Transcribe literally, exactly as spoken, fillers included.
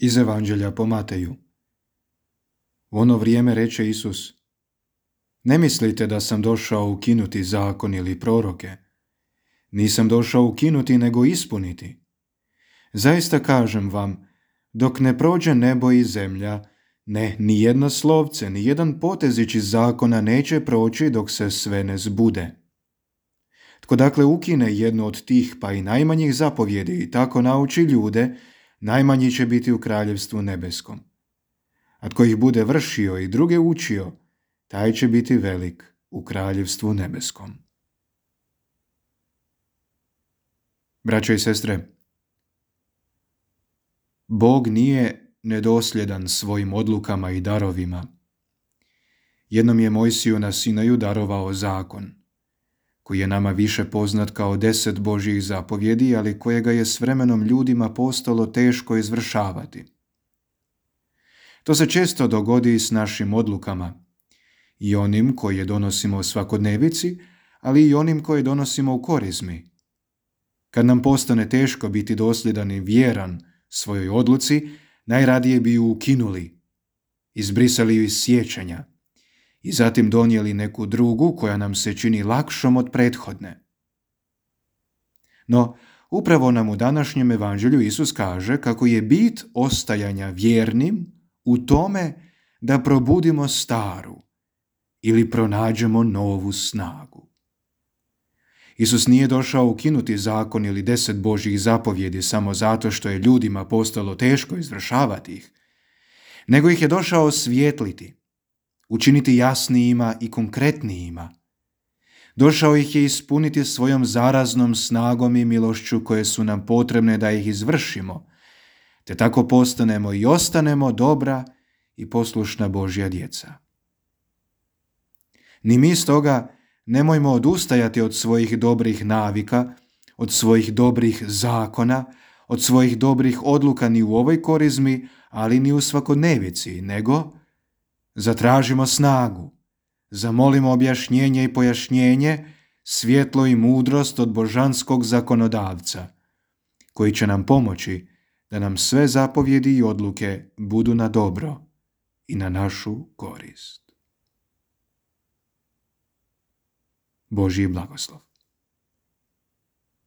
Iz Evanđelja po Mateju. U ono vrijeme reče Isus: Ne mislite da sam došao ukinuti zakon ili proroke. Nisam došao ukinuti, nego ispuniti. Zaista kažem vam, dok ne prođe nebo i zemlja, ne, ni jedno slovce, ni jedan potezić iz zakona neće proći dok se sve ne zbude. Tko dakle ukine jednu od tih pa i najmanjih zapovjedi i tako nauči ljude, najmanji će biti u kraljevstvu nebeskom. A tko ih bude vršio i druge učio, taj će biti velik u kraljevstvu nebeskom. Braćo i sestre, Bog nije nedosljedan svojim odlukama i darovima. Jednom je Mojsiju na Sinaju darovao zakon, koji je nama više poznat kao deset Božjih zapovjedi, ali kojega je s vremenom ljudima postalo teško izvršavati. To se često dogodi s našim odlukama, i onim koje donosimo u svakodnevici, ali i onim koje donosimo u korizmi. Kad nam postane teško biti dosljedan i vjeran svojoj odluci, najradije bi ju ukinuli, izbrisali ju iz sjećanja i zatim donijeli neku drugu koja nam se čini lakšom od prethodne. No, upravo nam u današnjem evanđelju Isus kaže kako je bit ostajanja vjernim u tome da probudimo staru ili pronađemo novu snagu. Isus nije došao ukinuti zakon ili deset Božjih zapovjedi samo zato što je ljudima postalo teško izvršavati ih, nego ih je došao osvijetliti, učiniti jasnijima i konkretnijima. Došao ih je ispuniti svojom zaraznom snagom i milošću koje su nam potrebne da ih izvršimo, te tako postanemo i ostanemo dobra i poslušna Božja djeca. Ni mi stoga nemojmo odustajati od svojih dobrih navika, od svojih dobrih zakona, od svojih dobrih odluka ni u ovoj korizmi, ali ni u svakodnevici, nego zatražimo snagu, zamolimo objašnjenje i pojašnjenje, svjetlo i mudrost od božanskog zakonodavca, koji će nam pomoći da nam sve zapovjedi i odluke budu na dobro i na našu korist. Božji blagoslov.